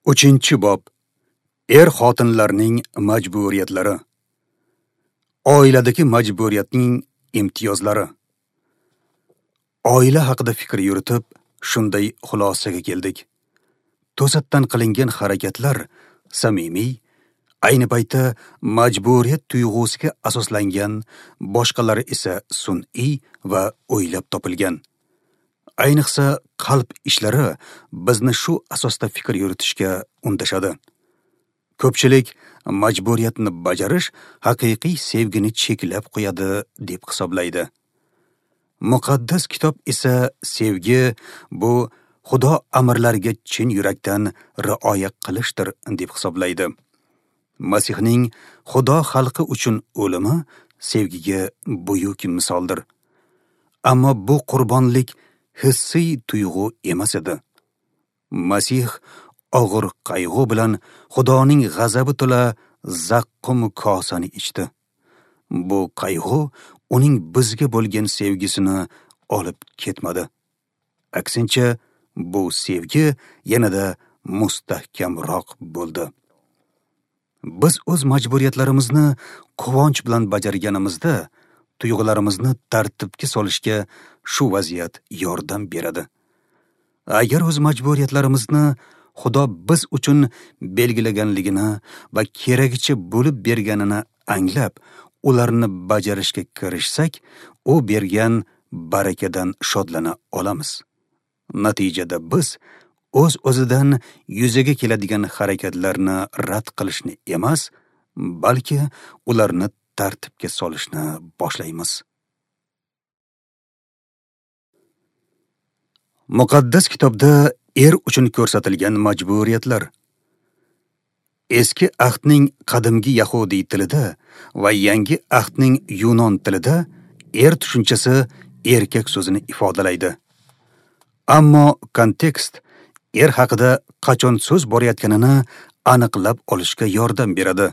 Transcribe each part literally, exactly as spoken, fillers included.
Uchinchi bob. Er-xotinlarning majburiyatlari. Oiladagi majburiyatning imtiyozlari. Oila haqida fikr yuritib, shunday xulosaga keldik. To'satdan qilingan harakatlar samimiy, ayni paytda majburiyat tuyg'usiga asoslangan, boshqalari esa sun'iy va o'ylab topilgan. Ayniqsa qalb ishlari bizni shu asosda fikr yuritishga undashadi. Ko'pchilik majburiyatni bajarish haqiqiy sevgini cheklab qo'yadi deb hisoblaydi. Muqaddas kitob esa sevgi bu Xudo amrlariga chin yurakdan rioya qilishdir deb hisoblaydi. Masihning Xudo xalqi uchun o'limi sevgiga buyuk misoldir. Ammo bu qurbonlik hissiy tuyg'u emas edi. Masih og'ir qayg'u bilan Xudoning g'azabi to'la zaqqum kosani ichdi. Bu qayg'u uning bizga bo'lgan sevgisini olib ketmadi. Aksincha, bu sevgi yanada mustahkamroq bo'ldi. Biz o'z majburiyatlarimizni quvonch bilan bajarganimizda, tuyg'ularimizni tartibga solishga shu vaziyat yordam beradi. Agar o'z majburiyatlarimizni Xudo biz uchun belgilaganligini va keragicha bo'lib berganini anglab, ularni bajarishga kirishsak, u bergan barakadan shodlana olamiz. Natijada biz o'z-o'zidan yuzaga keladigan harakatlarni rad qilishni emas, balki ularni tartibga solishni boshlaymiz. Muqaddas kitobda er uchun ko'rsatilgan majburiyatlar. Eski ahdning qadimgi yahudiy tilida va yangi ahdning yunon tilida er tushunchasi erkak so'zini ifodalaydi. Ammo kontekst er haqida qachon so'z borayotganini aniqlab olishga yordam beradi.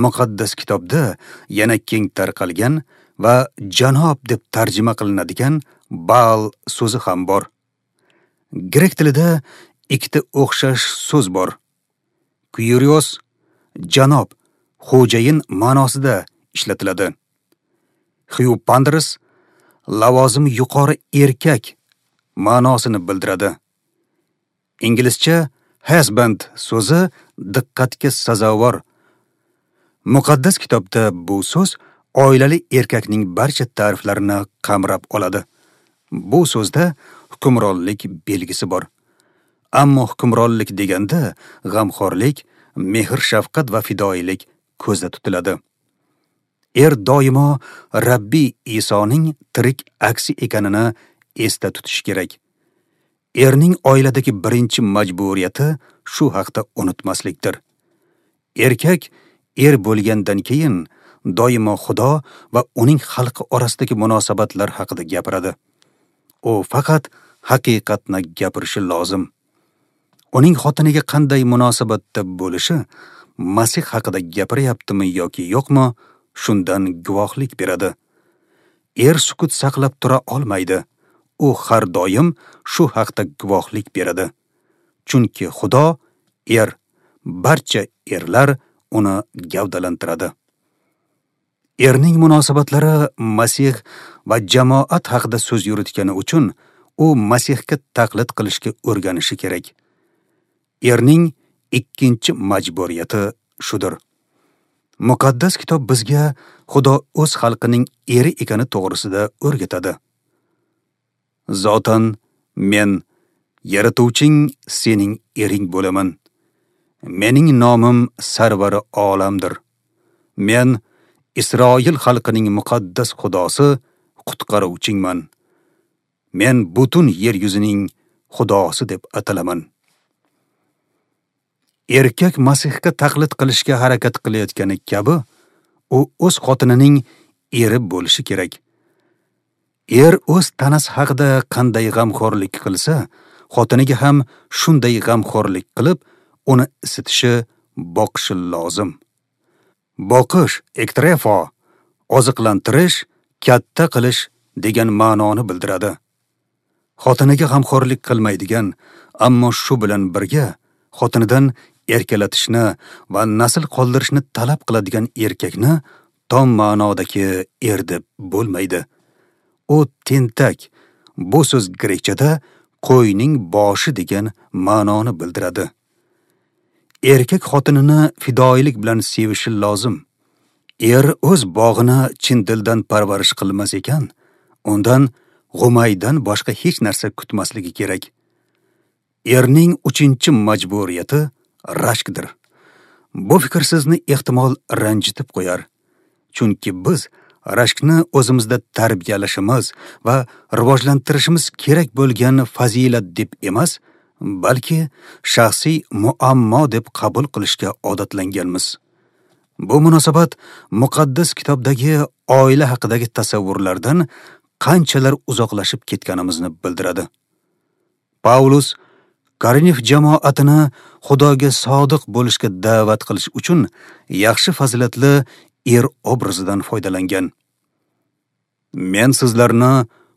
Muqaddas kitobda yana keng tarqalgan va janob deb tarjima qilinadigan baal so'zi ham bor. Grek tilida ikkita o'xshash so'z bor. Kyrios janob, xo'jayin ma'nosida ishlatiladi. Xyupandros lavozimi yuqori erkak ma'nosini bildiradi. Inglizcha husband so'zi diqqatga sazovor. Muqaddas kitobda bu so'z oilali erkakning barcha ta'riflarini qamrab oladi. Bu so'zda hukmronlik belgisi bor. Ammo hukmronlik deganda g'amxo'rlik, mehr-shafqat va fidoyilik ko'zda tutiladi. Er doimo Rabbiy Isoning tirik aksi ekanini esda tutish kerak. Erning oiladagi birinchi majburiyati shu haqda unutmaslikdir. Erkak er bo'lgandan keyin doimo Xudo va uning xalqi orasidagi munosabatlar haqida gapiradi. U faqat haqiqatni gapirishi lozim. Uning xotiniga qanday munosabatda bo'lishi, Masih haqida gapiryaptimi yoki yo'qmi, shundan guvohlik beradi. Er sukut saqlab tura olmaydi. U har doim shu haqda guvohlik beradi. Chunki Xudo er, barcha erlar uni gavdalantiradi. Erning munosabatlari Masih va jamoat haqida so'z yuritgani uchun u Masihga taqlid qilishga o'rganishi kerak. Erning ikkinchi majburiyati shudir. Muqaddas kitob bizga Xudo o'z xalqining eri ekani to'g'risida o'rgatadi. Zotan men yaratuvching sening ering bo'laman. Mening nomim Sarvari olamdir. Men Isroil xalqining muqaddas Xudosi, qutqaruvchingman. Men butun yer yuzining Xudosi deb atalaman. Erkak Masihga taqlid qilishga harakat qilayotgani kabi, u o'z xotinining eri bo'lishi kerak. Er o'z tanasi haqida qanday g'amxo'rlik qilsa, xotiniga ham shunday g'amxo'rlik qilib, uni isitishi, boqishi lozim. Boqish, ektrefo, oziqlantirish, katta qilish degan ma'noni bildiradi. Xotiniga g'amxo'rlik qilmaydigan, ammo shu bilan birga Xotinidan erkalatishni va nasl qoldirishni talab qiladigan erkakni tom ma'nodagi er deb bo'lmaydi. U tentak, bu so'z grekchada qo'yning boshi degan ma'noni bildiradi. Erkak xotinini fidoyilik bilan sevishi lozim. Er o'z bog'ini chin dildan parvarish qilmas ekan, undan g'umaydan boshqa hech narsa kutmasligi kerak. Erning uchinchi majburiyati rashkdir. Bu fikr sizni ehtimol ranjitib qo'yar. Chunki biz rashkni o'zimizda tarbiyalashimiz va rivojlantirishimiz kerak bo'lgan fazilat deb emas, balki shaxsiy muammo deb qabul qilishga odatlanganmiz. Bu munosabat muqaddas kitobdagi oila haqidagi tasavvurlardan qanchalar uzoqlashib ketganimizni bildiradi. Paulus Korinf jamoatini Xudoga sodiq bo'lishga da'vat qilish uchun yaxshi fazilatli er obrazidan foydalangan. Men sizlarni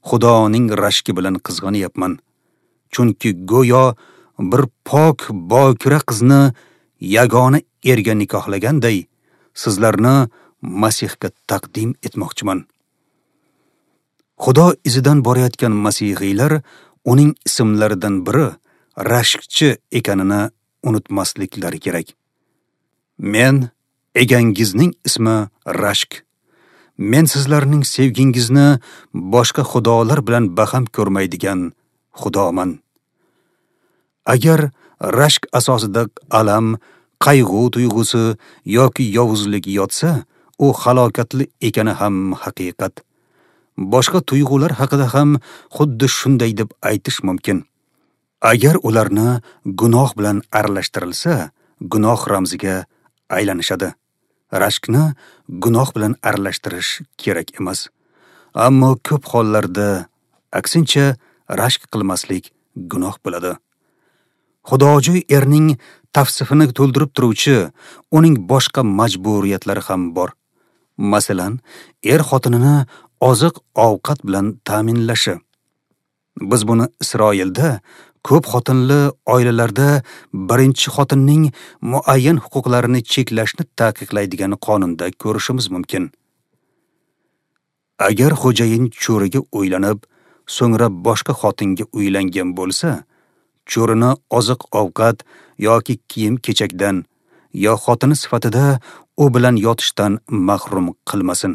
Xudoning rashki bilan qizg'anyapman. Chunki go'yo bir pok bokira qizni yagona erga nikohlaganday sizlarni Masihga taqdim etmoqchiman. Xudo izidan borayotgan masihiylar uning ismlaridan biri rashkchi ekanini unutmasliklari kerak. Men egangizning ismi Rashk. Men sizlarning sevgingizni boshqa xudolar bilan baham ko'rmaydigan xudoman. Agar rashk asosida alam, qayg'u tuyg'usi yoki yovuzlik yotsa, u halokatli ekani ham haqiqat. Boshqa tuyg'ular haqida ham xuddi shunday deb aytish mumkin. Agar ularni gunoh bilan aralashtirilsa, gunoh ramziga aylanishadi. Rashkni gunoh bilan aralashtirish kerak emas. Ammo ko'p hollarda aksincha rashk qilmaslik gunoh bo'ladi. Xudojo'y erning tavsifini to'ldirib turuvchi uning boshqa majburiyatlari ham bor. Masalan, er xotinini oziq-ovqat bilan ta'minlashi. Biz buni Isroilda ko'p xotinli oilalarda birinchi xotinning muayyan huquqlarini cheklashni taqiqlaydigan qonunda ko'rishimiz mumkin. Agar xo'jayin cho'riga uylanib, so'ngra boshqa xotinga uylangan bo'lsa, cho'rini oziq-ovqat yoki kiyim-kechakdan yo xotini sifatida u bilan yotishdan mahrum qilmasin.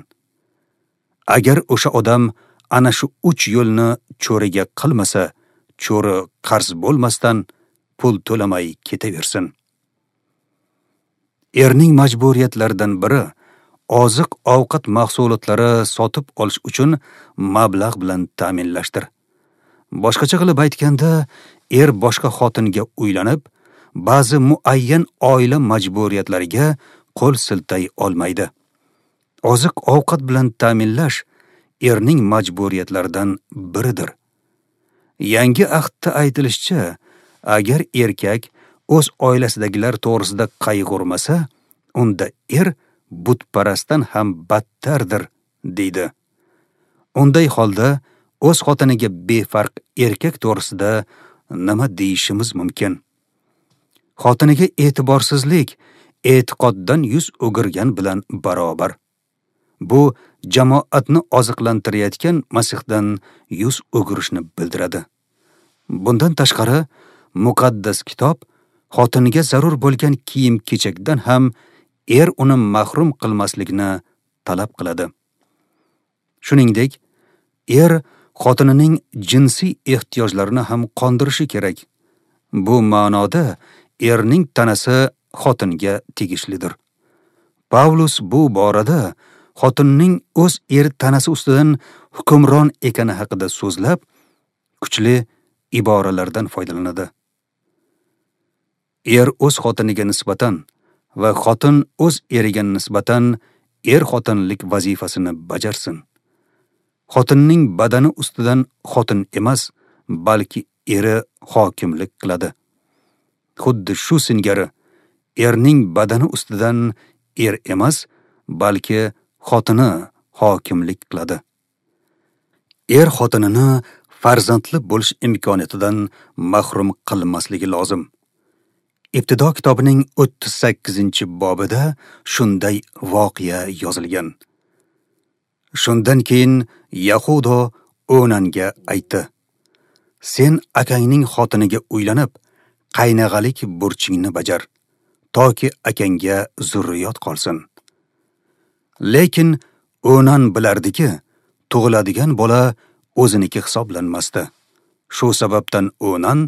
Agar o'sha odam ana shu uch yo'lni cho'riga qilmasa, cho'ri qarz bo'lmasdan pul to'lamay ketaversin. Erning majburiyatlaridan biri oziq-ovqat mahsulotlari sotib olish uchun mablag' bilan ta'minlashdir. Boshqacha qilib aytganda, er boshqa xotinga uylanib, ba'zi muayyan oila majburiyatlariga qo'l siltay olmaydi. Oziq-ovqat bilan ta'minlash erning majburiyatlaridan biridir. Yangi ahdda aytilishicha, agar erkak o'z oilasidagilar to'g'risida qayg'urmasa, unda er butparastdan ham battardir, deydi. Unday holda o'z xotiniga befarq erkak to'g'risida nima deyishimiz mumkin? Xotiniga e'tiborsizlik e'tiqoddan yuz o'girgan bilan barobar. Bu jamoatni oziqlantirayotgan Masihdan yuz o'girishni bildiradi. Bundan tashqari, muqaddas kitob xotiniga zarur bo'lgan kiyim-kechakdan ham er uni mahrum qilmaslikni talab qiladi. Shuningdek, er xotinining jinsiy ehtiyojlarini ham qondirishi kerak. Bu ma'noda erning tanasi xotinga tegishlidir. Pavlus bu borada xotinning o'z eri tanasi ustidan hukmron ekani haqida so'zlab, kuchli iboralardan foydalanadi. Er o'z xotiniga nisbatan va xotin o'z eriga nisbatan er-xotinlik vazifasini bajarsin. Xotinning badani ustidan xotin emas, balki eri hokimlik qiladi. Xuddi shu singari erning badani ustidan er emas, balki xotini hokimlik qiladi. Er xotinini farzandli bo'lish imkoniyatidan mahrum qilmasligi lozim. Ibtido kitobining o'ttiz sakkizinchi bobida shunday voqea yozilgan. Shundan keyin Yahudo O'nanga aytdi: "Sen akangning xotiniga uylanib, qaynag'alik burchingni bajar, toki akangga zurriyot qolsin." Lekin O'nan bilardiki, tug'iladigan bola o'ziniki hisoblanmasdi. Shu sababdan O'nan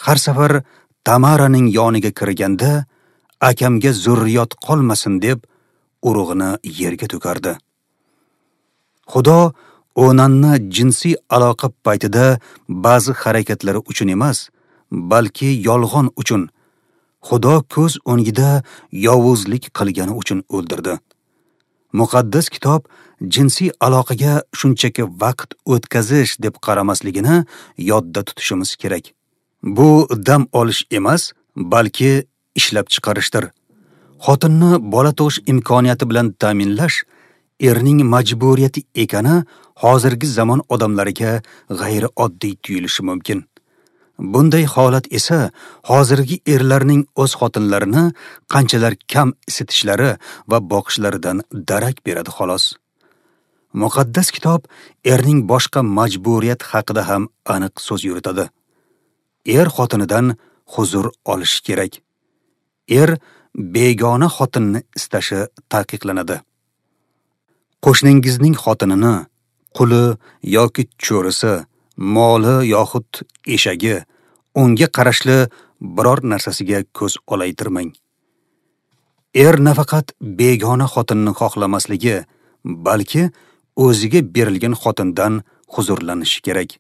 har safar Tamaraning yoniga kirganda, akamga zurriyot qolmasin deb urug'ini yerga to'kardi. Xudo O'nanni jinsiy aloqa paytida ba'zi harakatlari uchun emas, balki yolg'on uchun, Xudo ko'z o'ngida yovuzlik qilgani uchun o'ldirdi. Muqaddas kitob jinsiy aloqaga shunchaki vaqt o'tkazish deb qaramasligini yodda tutishimiz kerak. Bu dam olish emas, balki ishlab chiqarishdir. Xotinni bola tug'ish imkoniyati bilan ta'minlash erning majburiyati ekani hozirgi zamon odamlariga g'ayrioddiy tuyulishi mumkin. Bunday holat esa hozirgi erlarning o'z xotinlarini qanchalar kam isitishlari va boqishlaridan darak beradi xolos. Muqaddas kitob erning boshqa majburiyat haqida ham aniq so'z yuritadi. Er xotinidan huzur olishi kerak. Er begona xotinni istashi taqiqlanadi. Qo'shningizning xotinini, quli yoki cho'risi, moli yoxud eshagi, unga qarashli biror narsasiga ko'z olaytirmang. Er nafaqat begona xotinni xohlamasligi, balki o'ziga berilgan xotindan huzurlanishi kerak.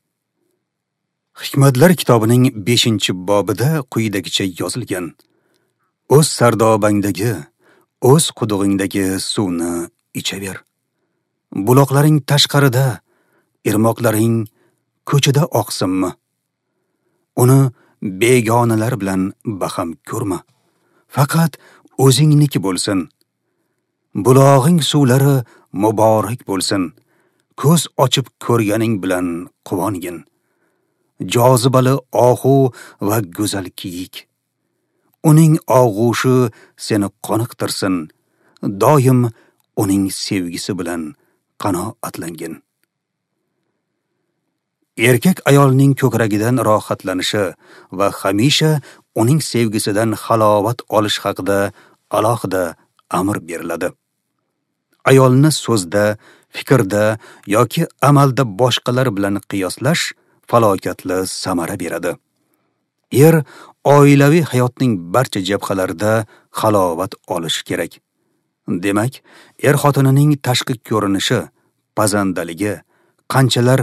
Hikmatlar kitobining beshinchi bobida quyidagicha yozilgan: O'z sardobangdagi, o'z qudug'ingdagi suvni ichaver. Buloqlaring tashqarida, irmoqlaring ko'chada oqsinmi? Uni begonalar bilan baham ko'rma. Faqat o'zingniki bo'lsin. Bulog'ing suvlari muborak bo'lsin. Ko'z ochib ko'rganing bilan quvongin. Jozibali ohu va go'zal kiyik. Uning og'ushi seni qoniqtirsin. Doim uning sevgisi bilan qanoatlangin. Erkak ayolning ko'kragidan rohatlanishi va hamisha uning sevgisidan halovat olish haqida alohida amr beriladi. Ayolni so'zda, fikrda yoki amalda boshqalar bilan qiyoslash falokatli samara beradi. Er oilaviy hayotning barcha jabhalarida halovat olishi kerak. Demak, er xotinining tashqi ko'rinishi, pazandaligi, qanchalar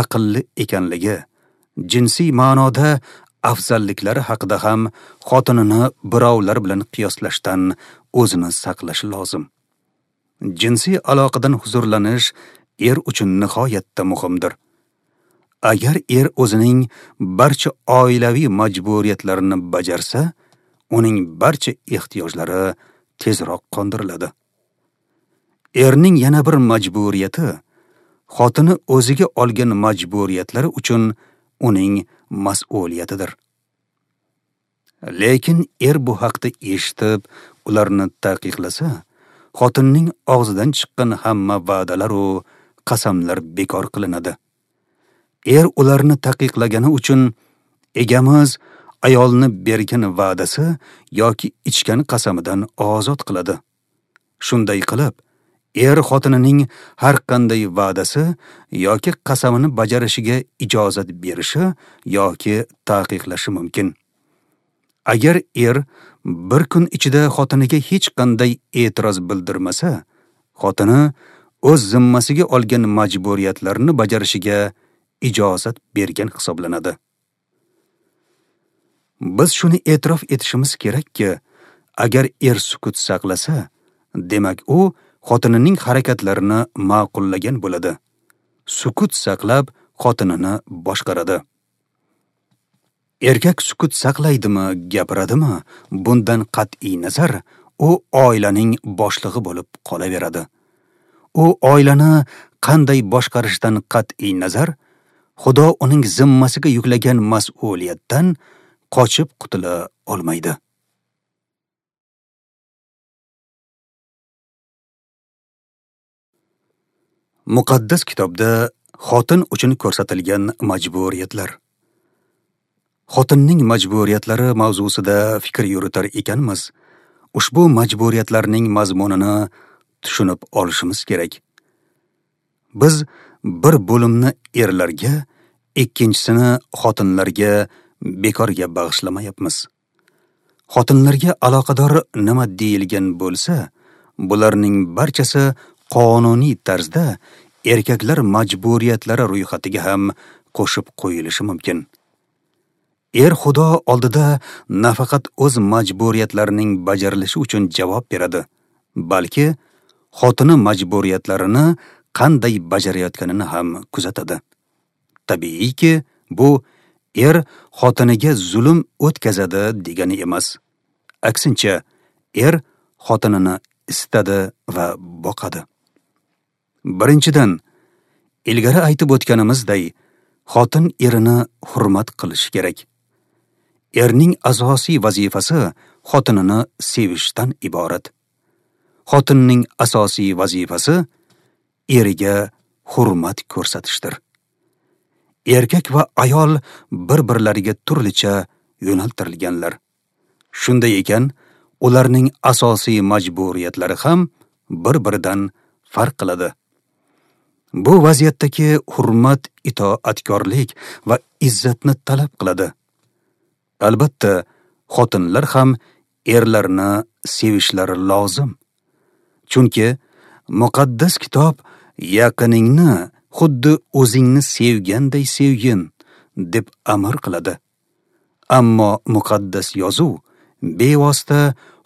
aqlli ekanligi, jinsiy ma'noda afzalliklari haqida ham xotinini birovlar bilan qiyoslashdan o'zini saqlashi lozim. Jinsiy aloqadan huzurlanish er uchun nihoyatda muhimdir. Agar er o'zining barcha oilaviy majburiyatlarini bajarsa, uning barcha ehtiyojlari tezroq qondiriladi. Erning yana bir majburiyati, xotini o'ziga olgan majburiyatlari uchun uning mas'uliyatidir. Lekin er bu haqda eshitib, ularni taqiqlasa, xotinning og'zidan chiqqan hamma va'dalar u qasamlar bekor qilinadi. Er ularni taqiqlagani uchun egamiz ayolni bergan va'dasi yoki ichgan qasamidan ozod qiladi. Shunday qilib, er xotinining har qanday va'dasi yoki qasamini bajarishiga ijozat berishi yoki taqiqlashi mumkin. Agar er bir kun ichida xotiniga hech qanday e'tiroz bildirmasa, xotini o'z zimmasiga olgan majburiyatlarini bajarishiga ijozat bergan hisoblanadi. Biz shuni e'tirof etishimiz kerakki, agar er sukut saqlasa, demak u xotinining harakatlarini ma'qullagan bo'ladi. Sukut saqlab xotinini boshqaradi. Erkak sukut saqlaydimi, gapiradimi, bundan qat'iy nazar u oilaning boshlig'i bo'lib qolaveradi. U oilani qanday boshqarishdan qat'iy nazar, Xudo uning zimmasiga yuklagan mas'uliyatdan qochib qutula olmaydi. Muqaddas kitobda xotin uchun ko'rsatilgan majburiyatlar. Xotinning majburiyatlari mavzusida fikr yuritar ekanmiz, ushbu majburiyatlarning mazmunini tushunib olishimiz kerak. Biz bir bo'limni erlarga, ikkinchisini xotinlarga bekorga bag'ishlamayapmiz. Xotinlarga aloqador nima deyilgan bo'lsa, bularning barchasi qonuniy tarzda erkaklar majburiyatlari ro'yxatiga ham qo'shib qo'yilishi mumkin. Er Xudo oldida nafaqat o'z majburiyatlarining bajarilishi uchun javob beradi, balki xotini majburiyatlarini qanday bajarayotganini ham kuzatadi. Tabiiyki, bu er xotiniga zulm o'tkazadi degani emas. Aksincha, er xotinini istadi va boqadi. Birinchidan, ilgari aytib o'tganimizday, xotin erini hurmat qilishi kerak. Erning asosiy vazifasi xotinini sevishdan iborat. Xotinning asosiy vazifasi eriga hurmat ko'rsatishdir. Erkak va ayol bir-birlariga turlicha yo'naltirilganlar. Shunday ekan, ularning asosiy majburiyatlari ham bir-biridan farq qiladi. Bu vaziyatdagi hurmat itoatkorlik va izzatni talab qiladi. Albatta, xotinlar ham erlarni sevishlari lozim. Chunki muqaddas kitob yaqiningni xuddi o'zingni sevganday sevgin deb amr qiladi. Ammo muqaddas yozuv bevosita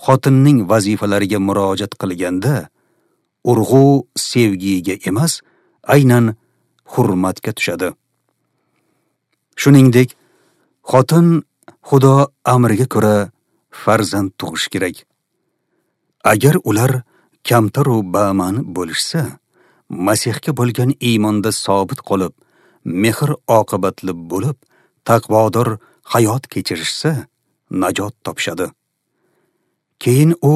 xotinning vazifalariga murojaat qilganda urg'u sevgiga emas, aynan hurmatga tushadi. Shuningdek, xotin Xudo amriga ko'ra farzand tug'ish kerak. Agar ular kamtar va ba'ma'ni bo'lishsa, Masihga bo'lgan iymonda sobit qolib, mehr oqibatli bo'lib, taqvodor hayot kechirishsa, najot topishadi. Keyin u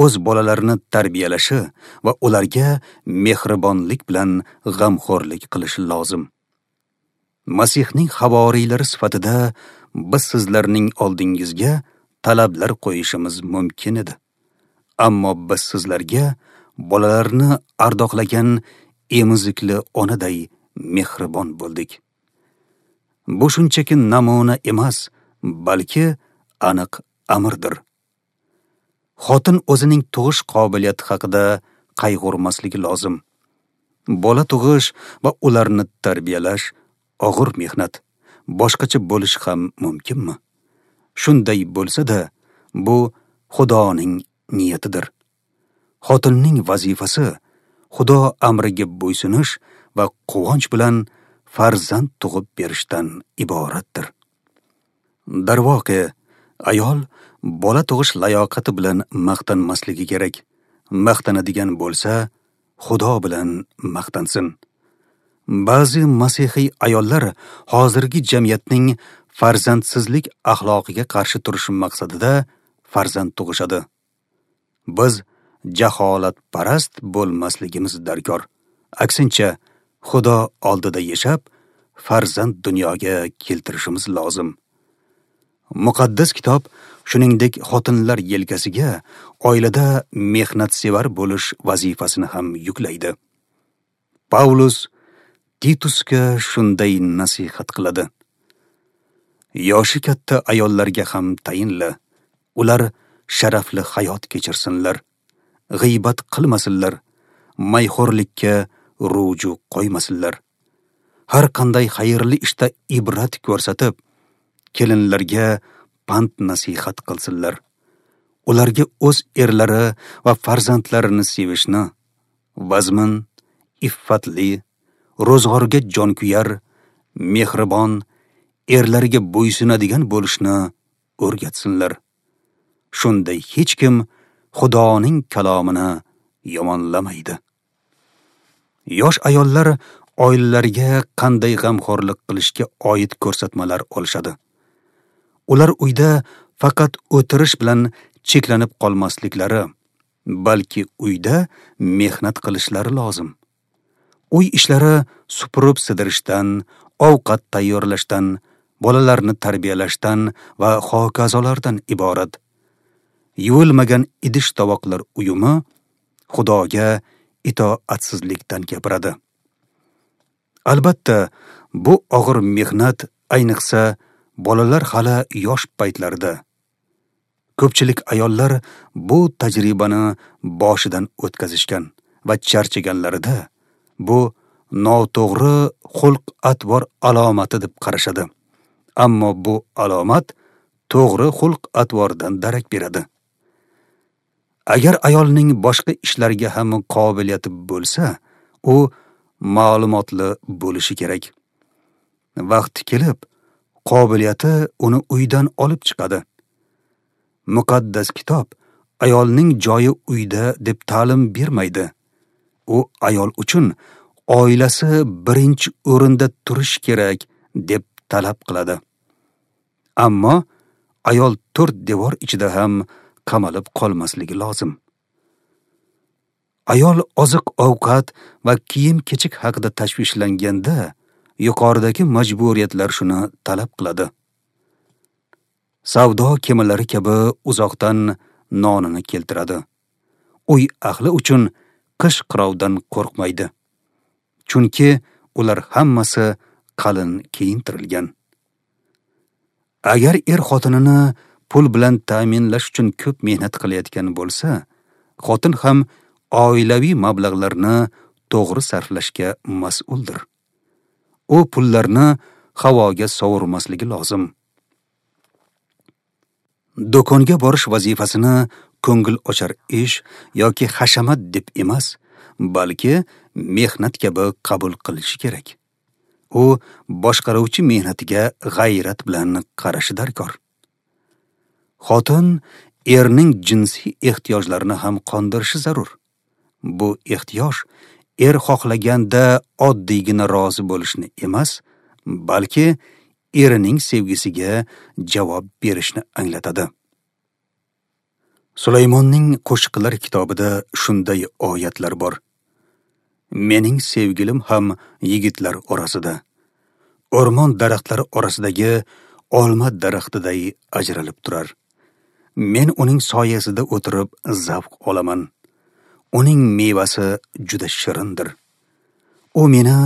o'z bolalarini tarbiyalashi va ularga mehribonlik bilan g'amxo'rlik qilishi lozim. Masihning havoriylari sifatida biz sizlarning oldingizga talablar qo'yishimiz mumkin edi. Ammo biz sizlarga bolalarni ardoqlagan emizikli onaday mehribon bo'ldik. Bu shunchaki namuna emas, balki aniq amrdir. Xotin o'zining tug'ish qobiliyati haqida qayg'urmasligi lozim. Bola tug'ish va ularni tarbiyalash og'ir mehnat. Boshqacha bo'lishi ham mumkinmi? Shunday bo'lsa-da, bu Xudoning niyatidir. Xotinning vazifasi Xudo amriga bo'ysunish va quvonch bilan farzand tug'ib berishdan iboratdir. Darvoqe, ayol bola tug'ish layoqati bilan maqtanmasligi kerak. Maqtanadigan bo'lsa, Xudo bilan maqtansin. Ba'zi masihiy ayollar hozirgi jamiyatning farzandsizlik axloqiga qarshi turish maqsadida farzand tug'ishadi. Biz jaholatparast bo'lmasligimiz darkor. Aksincha, Xudo oldida yashab, farzand dunyoga keltirishimiz lozim. Muqaddas kitob shuningdek xotinlar yelkasiga oilada mehnatsevar bo'lish vazifasini ham yuklaydi. Pavlus Titusga shunday nasihat qiladi: Yoshi katta ayollarga ham tayinla, ular sharafli hayot kechirsinlar, g'iybat qilmasinlar, mayxo'rlikka ruju qo'ymasinlar. Har qanday xayrli ishda ibrat ko'rsatib, kelinlarga pand nasihat qilsinlar. Ularga o'z erlari va farzandlarini sevishni, vazmin, iffatli, ro'zg'orga jonkuyar, mehribon, erlariga bo'ysunadigan bo'lishni o'rgatsinlar. Shunda hech kim Xudoning kalomini yomonlamaydi. Yosh ayollar oilalariga qanday g'amxo'rlik qilishga oid ko'rsatmalar olishadi. Ular uyda faqat o'tirish bilan cheklanib qolmasliklari, balki uyda mehnat qilishlari lozim. Uy ishlari supurib sidirishdan, ovqat tayyorlashdan, bolalarni tarbiyalashdan va hokazolardan iborat. Yuvilmagan idish tovoqlar uyumi Xudoga itoatsizlikdan gapiradi. Albatta, bu og'ir mehnat ayniqsa bolalar hali yosh paytlarida. Ko'pchilik ayollar bu tajribani boshidan o'tkazishgan va charchaganlarida bu noto'g'ri xulq-atvor alomati deb qarashadi. Ammo bu alomat to'g'ri xulq-atvordan darak beradi. Agar ayolning boshqa ishlarga ham qobiliyati bo'lsa, u ma'lumotli bo'lishi kerak. Vaqti kelib, qobiliyati uni uydan olib chiqadi. Muqaddas kitob ayolning joyi uyda deb ta'lim bermaydi. U ayol uchun oilasi birinchi o'rinda turishi kerak deb talab qiladi. Ammo ayol to'rt devor ichida ham qamalib qolmasligi lozim. Ayol oziq-ovqat va kiyim-kechak haqida tashvishlanganda yuqoridagi majburiyatlar shuni talab qiladi. Savdo kemalari kabi uzoqdan nonini keltiradi. Uy ahli uchun qish qirovdan qo'rqmaydi. Chunki ular hammasi qalin kiyintirilgan. Agar er xotinini pul bilan ta'minlash uchun ko'p mehnat qilayotgan bo'lsa, xotin ham oilaviy mablag'larni to'g'ri sarflashga mas'uldir. U pullarni havoga sovurmasligi lozim. Do'konga borish vazifasini ko'ngil ochar ish yoki hashamat deb emas, balki mehnat kabi qabul qilishi kerak. U boshqaruvchi mehnatiga g'ayrat bilan qarashi darkor. Xotin erning jinsiy ehtiyojlarini ham qondirishi zarur. Bu ehtiyoj er xohlaganda oddiygina rozi bo'lishni emas, balki erining sevgisiga javob berishni anglatadi. Sulaymonning Qo'shiqlar kitobida shunday oyatlar bor. Mening sevgilim ham yigitlar orasida, o'rmon daraxtlari orasidagi olma daraxtiday ajralib turar. Men uning soyasida o'tirib zavq olaman. Uning mevasi juda shirindir. U meni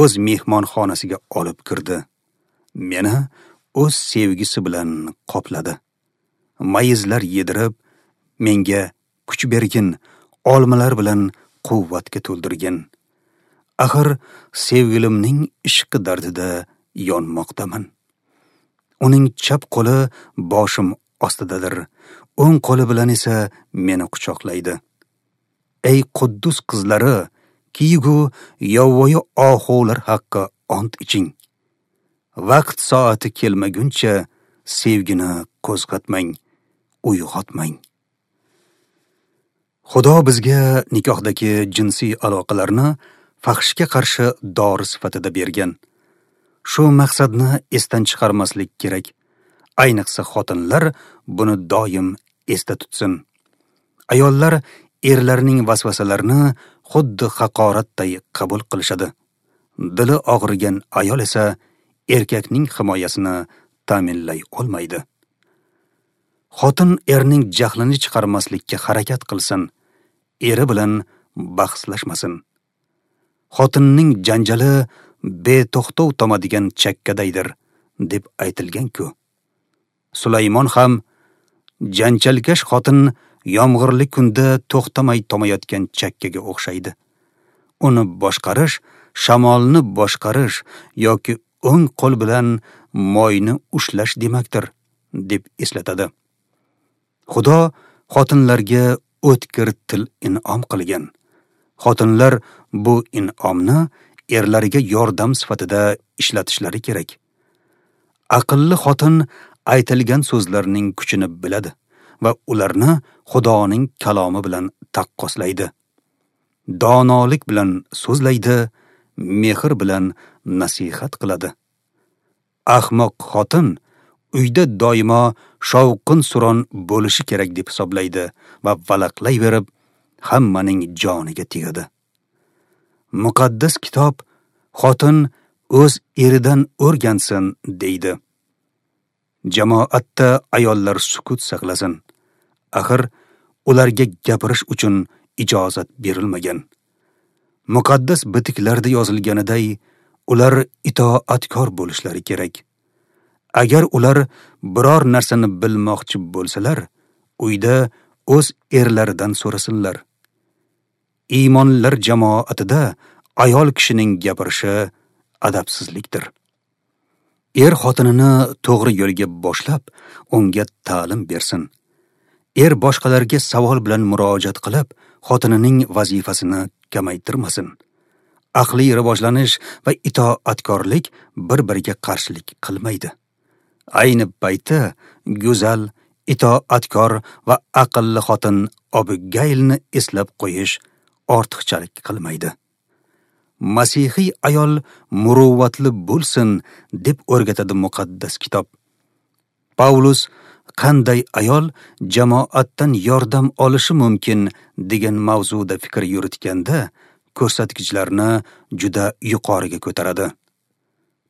o'z mehmonxonasiga olib kirdi. Meni o'z sevgisi bilan qopladi. Mayizlar yedirib, menga kuch bergin, olmalar bilan quvvatga to'ldirgin. Axir sevgilimning ishqi dardida yonmoqdaman. Uning chap qo'li boshim ostidadir, o'ng qo'li bilan esa meni quchoqlaydi. Ey Quddus qizlari, kiyigu yovvoyi ohular haqqi ont iching. Vaqt soati kelmaguncha sevgini qo'zg'atmang, uyg'otmang. Xudo bizga nikohdagi jinsiy aloqalarni fahshga qarshi dori sifatida bergan. Shu maqsadni esdan chiqarmaslik kerak. Ayniqsa xotinlar buni doim esda tutsin. Ayollar erlarning vasvasalarini xuddi haqoratday qabul qilishadi. Dili og'rigan ayol esa erkakning himoyasini ta'minlay olmaydi. Xotin erning jahlini chiqarmaslikka harakat qilsin, eri bilan bahslashmasin. Xotinning janjali beto'xtov tomadigan chakkadaydir, deb aytilgan-ku. Sulaymon ham janjalkash xotin yomg'irli kunda to'xtamay tomayotgan chakkaga o'xshaydi. Uni boshqarish, shamolni boshqarish yoki o'ng qo'l bilan moyni ushlash demakdir, deb eslatadi. Xudo xotinlarga o'tkir til in'om qilgan. Xotinlar bu in'omni erlariga yordam sifatida ishlatishlari kerak. Aqlli xotin aytilgan so'zlarning kuchini biladi va ularni Xudoning kalomi bilan taqqoslaydi. Donolik bilan so'zlaydi, mehr bilan nasihat qiladi. Ahmoq xotin uyda doimo shovqin-suron bo'lishi kerak deb hisoblaydi va valaqlayverib hammaning joniga tegadi. Muqaddas kitob xotin o'z eridan o'rgansin deydi. Jamoatda ayollar sukut saqlasin. Axir ularga gapirish uchun ijozat berilmagan. Muqaddas bitiklarda yozilganiday, ular itoatkor bo'lishlari kerak. Agar ular biror narsani bilmoqchi bo'lsalar, uyda o'z erlaridan so'rasinlar. Iymonlar jamoatida ayol kishining gapirishi adabsizlikdir. Er xotinini to'g'ri yo'lga boshlab, unga ta'lim bersin. Er boshqalarga savol bilan murojaat qilib, xotinining vazifasini kamaytirmasin. Aqliy rivojlanish va itoatkorlik bir-biriga qarshilik qilmaydi. Ayni paytda go'zal, itoatkor va aqlli xotin Abigailni eslab qo'yish ortiqchalik qilmaydi. Masihiy ayol muruvvatli bo'lsin deb o'rgatadi muqaddas kitob. Pavlus qanday ayol jamoatdan yordam olishi mumkin degan mavzuda fikr yuritganda ko'rsatkichlarni juda yuqoriga ko'taradi.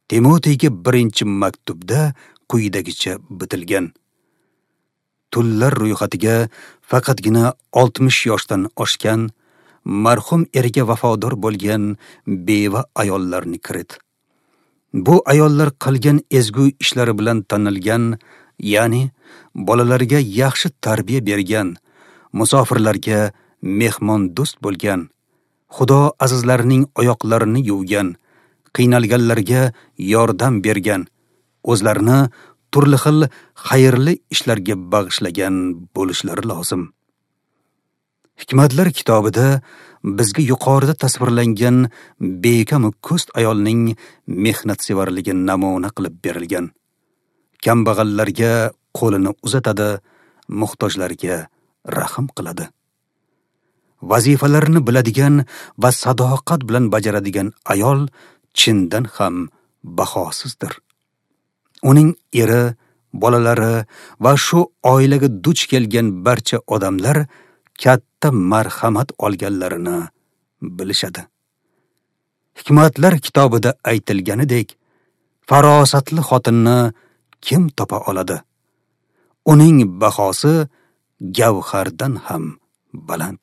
Timoteyga birinchi maktubda quyidagicha bitilgan. Tullar ro'yxatiga faqatgina oltmish yoshdan oshgan, marhum erga vafodor bo'lgan beva ayollarni kirit. Bu ayollar qilgan ezgu ishlari bilan tanilgan, ya'ni bolalarga yaxshi tarbiya bergan, musofirlarga mehmondo'st bo'lgan, Xudo azizlarining oyoqlarini yuvgan, qiynalganlarga yordam bergan, o'zlarini turli xil xayrli ishlarga bag'ishlagan bo'lishlari lozim. Hikmatlar kitobida bizga yuqorida tasvirlangan bekamu ko'st ayolning mehnatsevarligi namuna qilib berilgan. Kambag'allarga qo'lini uzatadi, muhtojlarga rahm qiladi. Vazifalarini biladigan va sadoqat bilan bajaradigan ayol chindan ham bahosizdir. Uning eri, bolalari va shu oilaga duch kelgan barcha odamlar katta marhamat olganlarini bilishadi. Hikmatlar kitobida aytilganidek, farosatli xotinni kim topa oladi? Uning bahosi gavhardan ham baland.